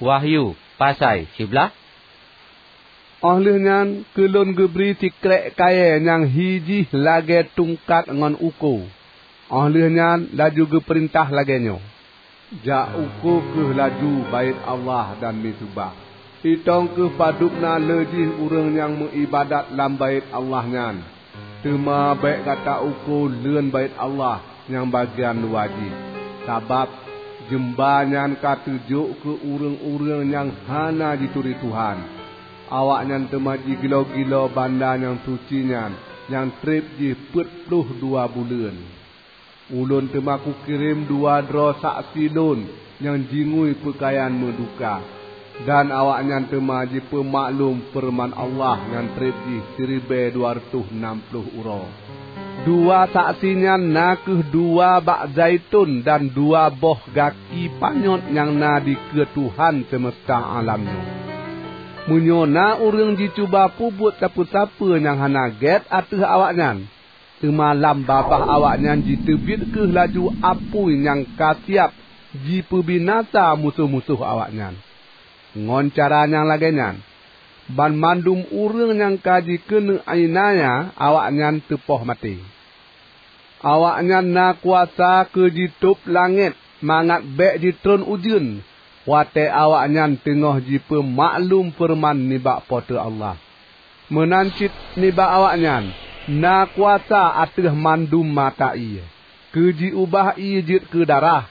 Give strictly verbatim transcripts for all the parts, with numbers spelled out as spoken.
Wahyu, pasai siblaih. Óh lheueh nyan keu lôn geubri sikrék kayée nyang hi jih lagée tungkat ngon uko. Óh lheueh nyan laju geupeurintah lagée nyoe, "Jak uko kheueh laju Baét Allah dan miseubah. Itong kheueh padub na le jih ureuëng nyang meuiébadat lam Baét Allah nyan. Teuma bék gata uko leuen Baét Allah nyang bagian luwa jih, sabab jeumba nyan ka teujok keu ureuëng-ureuëng nyang hana jituri Tuhan. Awaknyan teuma jigilo-gilo banda nyang suci nyan nyang treb jih peuet ploh dua buleuen. Ulôn teuma kukirém dua droe saksi lôn nyang jingui peukayan meuduka, dan awaknyan teuma jipeumaklum feureuman Allah nyang treb jih siribée dua reutôh nam ploh uroe. Dua saksi nyan na kheueh dua bak zaiton dan dua boh gaki panyöt nyang na dikeue Tuhan seumeusta alam nyoe. Meunyoe na ureuëng jicuba peubuet sapeue-sapeue nyang hana gét ateueh awaknyan, teuma lam babah awaknyan jiteubiet kheueh laju apui nyang ka siab jipeubinasa musoh-musoh awaknyan. Ngon cara nyang lagée nyan, banmandum ureuëng nyang ka jikeuneuk iénanya awaknyan teupoh maté. Awaknyan na kuasa keu jitôb langét mangat bék jitreun ujeuen, watée awaknyan teungoh jipeumaklum feureuman nibak Po teu Allah. Meunan cit nibak awaknyan na kuasa ateueh mandum mata ié, keu jiubah ié jeuet keu darah,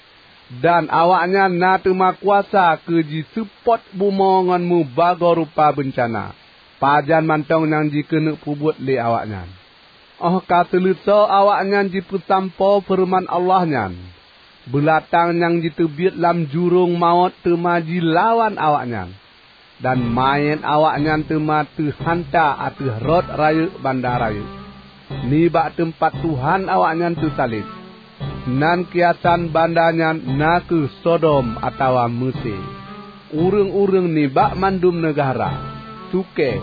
dan awaknyan na teuma kuasa keu jiseupôt bumoe ngon meubagoe rupa beuncana, pajan mantong nyang jikeuneuk peubuet lé awaknyan. Óh ka seuleusoe awaknyan jipeusampoe feureuman Allah nyan, beulatang nyang jiteubiet lam jurông mawöt teuma jilawan awaknyan, dan manyét awaknyan teuma teuhanta ateueh rot rayeuk banda rayeuk, nibak teumpat Tuhan awaknyan teusaleb. Nan kiasan banda nyan na kheueh Sodom atawa Meusé. Ureuëng-ureuëng nibak mandum neugahra, sukée,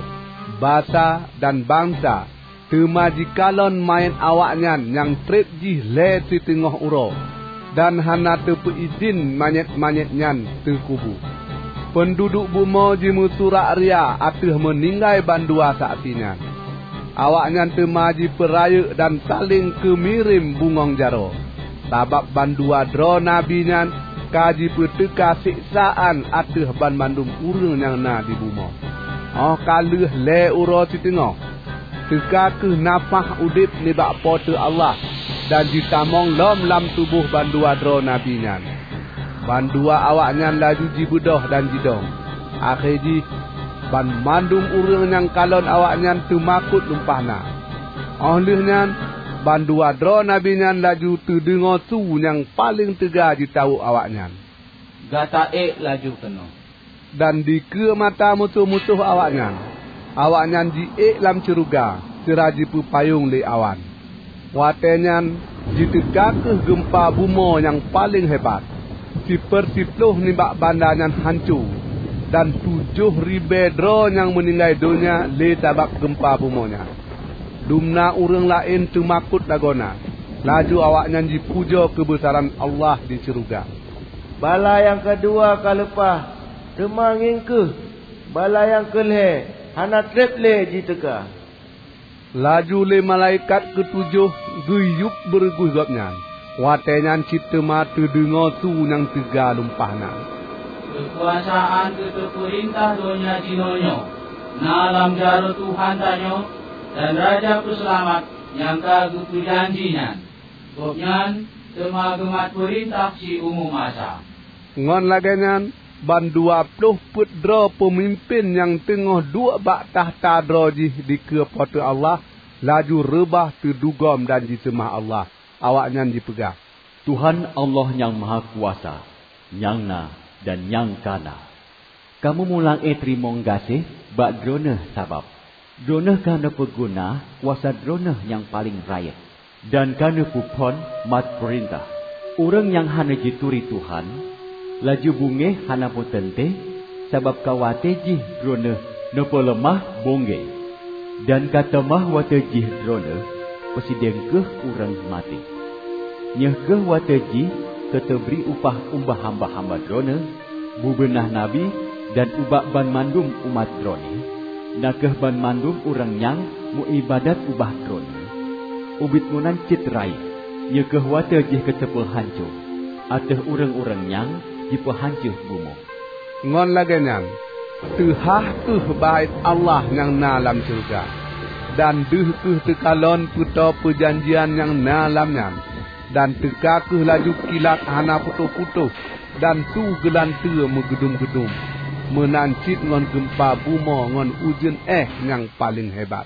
basa, dan bansa teuma jikalon manyét awaknyan nyang treb jih lhée siteungoh uroe, dan hana teupeuidhin manyét-manyét nyan teukubu. Peunduduek bumoe jimeusurak ria ateueh meuninggai bandua saksi nyan. Awaknyan teuma jipeurayeuk dan saléng keumirém bungöng jaroe, sabab bandua droe nabi nyan ka jipeuteuka siksaan ateueh banmandum ureuëng nyang na di bumoe. Óh ka lheueh lhée uroe siteungoh, teuka kheueh nafáh udeb nibak Po teu Allah dan jitamong lom lam tuboh bandua droe nabi nyan. Bandua awaknyan laju jibeudôh dan jidong. Akhé jih, banmandum ureuëng nyang kalon awaknyan teumakot lumpah na. Óh lheueh nyan, bandua droe nabi nyan laju teudeungoe su nyang paleng teuga jitawök awaknyan, "Gata ék laju keunoe!" Dan dikeue mata musoh-musoh awaknyan, awaknyan jiék lam syeuruga sira jipeupayong lé awan. Watée nyan jiteuka kheueh geumpa bumoe nyang paleng hebat. Sipeurtiploh nibak banda nyan hanco, dan tujoh ribée droe nyang meuninggai donya lé sabab geumpa bumoe nyan. Dumna ureuëng laén teumakot lagoena, laju awaknyan jipujoe keubeusaran Allah di syeuruga. Bala nyang keudua ka leupah, teuma ngieng kheueh, bala nyang keu lhée hana treb lé jiteuka. Laju lé malaikat keutujoh geuyueb beureuguih gobnyan. Watée nyan cit teuma teudeungoe su nyang teuga lumpah na, "Keukuasaan keu teupeurintah donya jinoe nyoe na lam jaroe Tuhan tanyoe dan Raja Peuseulamat nyang ka geupeujanji nyan. Gobnyan teuma geumat peurintah siumu masa." Ngon lagée nyan, bandua ploh peuet droe peumimpén nyang teungoh duek bak takhta droe jih dikeue Po teu Allah, laju reubah teudugom dan jiseumah Allah. Awaknyan jipeugah, "Tuhan Allah Nyang Mahakuasa, nyang na dan nyang ka na! Kamoe mulang-e teurimong gaséh bak Droeneueh sabab Droeneueh ka neupeuguna kuasa Droeneueh nyang paleng rayeuk, dan ka neupeuphon mat peurintah. Ureuëng nyang hana jituri Tuhan, laju beungéh hana meuteuntée, sabab ka watée jih Droeneueh neupeuleumah beungéh. Dan ka teuma watée jih Droeneueh peusidang kheueh ureuëng maté. Nyoe kheueh watée jih keu teubri upah ubak hamba-hamba Droeneueh, Bubena Nabi dan ubak banmandum umat Droeneueh, na kheueh banmandum ureuëng nyang meuiébadat ubak Droeneueh, ubit meunan cit rayeuk, nyoe kheueh watée jih keuteupeu hanco ateueh ureuëng-ureuëng nyang jipeuhanco bumoe. Ngon lagée nyan, teuhah kheueh Baét Allah nyang na lam syeuruga, dan deuh kheueh teukalon peutoe peujanjian nyang na lam nyan, dan teuka kheueh laju kilat hana putôh-putôh, dan su geulanteue meugeudum-geudum, meunan cit ngon geumpa bumoe ngon ujeuen éh nyang paleng hebat.